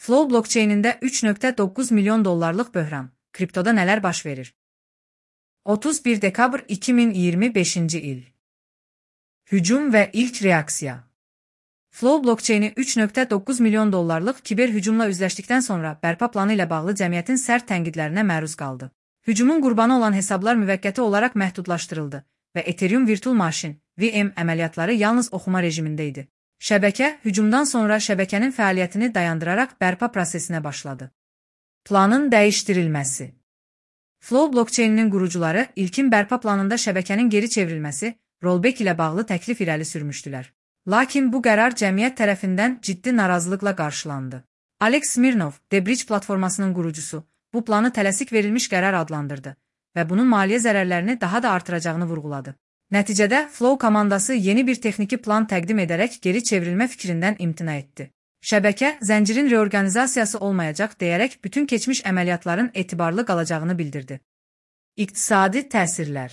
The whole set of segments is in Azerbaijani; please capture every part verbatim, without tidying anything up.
Flow blockchain'ində üç nöqtə doqquz milyon dollarlıq böhran. Kriptoda nələr baş verir? otuz bir dekabr iki min iyirmi beşinci il. Hücum və ilk reaksiya. Flow blockchain'i üç nöqtə doqquz milyon dollarlıq kiber hücumla üzləşdikdən sonra bərpa planı ilə bağlı cəmiyyətin sərt tənqidlərinə məruz qaldı. Hücumun qurbanı olan hesablar müvəqqəti olaraq məhdudlaşdırıldı və Ethereum Virtual Machine V M əməliyyatları yalnız oxuma rejimində idi. Şəbəkə, hücumdan sonra şəbəkənin fəaliyyətini dayandıraraq bərpa prosesinə başladı. Planın dəyişdirilməsi. Flow blockchain'inin qurucuları ilkin bərpa planında şəbəkənin geri çevrilməsi, rollback ilə bağlı təklif irəli sürmüşdülər. Lakin bu qərar cəmiyyət tərəfindən ciddi narazılıqla qarşılandı. Alex Smirnov, Debridge platformasının qurucusu, bu planı tələsik verilmiş qərar adlandırdı və bunun maliyyə zərərlərini daha da artıracağını vurğuladı. Nəticədə Flow komandası yeni bir texniki plan təqdim edərək geri çevrilmə fikrindən imtina etdi. Şəbəkə, zəncirin reorqanizasiyası olmayacaq deyərək bütün keçmiş əməliyyatların etibarlı qalacağını bildirdi. İqtisadi təsirlər.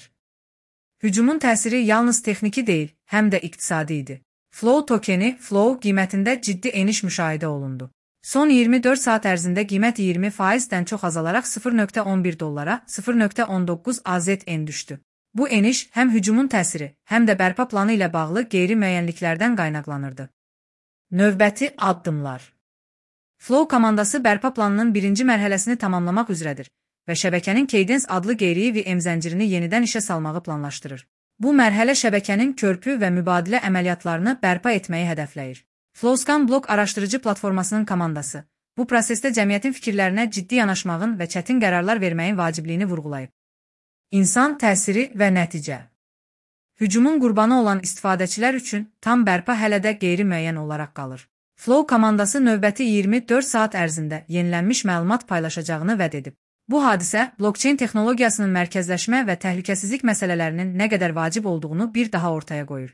Hücumun təsiri yalnız texniki deyil, həm də iqtisadi idi. Flow tokeni, Flow qiymətində ciddi eniş müşahidə olundu. Son iyirmi dörd saat ərzində qiymət iyirmi faizdən çox azalaraq sıfır nöqtə on bir dollara, sıfır nöqtə on doqquz A Z N düşdü. Bu eniş həm hücumun təsiri, həm də bərpa planı ilə bağlı qeyri-müəyyənliklərdən qaynaqlanırdı. Növbəti addımlar. Flow komandası bərpa planının birinci mərhələsini tamamlamaq üzrədir və şəbəkənin Cadence adlı qeyri V M zəncirini yenidən işə salmağı planlaşdırır. Bu mərhələ şəbəkənin körpü və mübadilə əməliyyatlarını bərpa etməyi hədəfləyir. Flowscan blok araşdırıcı platformasının komandası bu prosesdə cəmiyyətin fikirlərinə ciddi yanaşmağın və çətin qərarlar verməyin vacibliyini vurğulayıb. İnsan təsiri və nəticə. Hücumun qurbanı olan istifadəçilər üçün tam bərpa hələ də qeyri-müəyyən olaraq qalır. Flow komandası növbəti iyirmi dörd saat ərzində yenilənmiş məlumat paylaşacağını vəd edib. Bu hadisə, blockchain texnologiyasının mərkəzləşmə və təhlükəsizlik məsələlərinin nə qədər vacib olduğunu bir daha ortaya qoyur.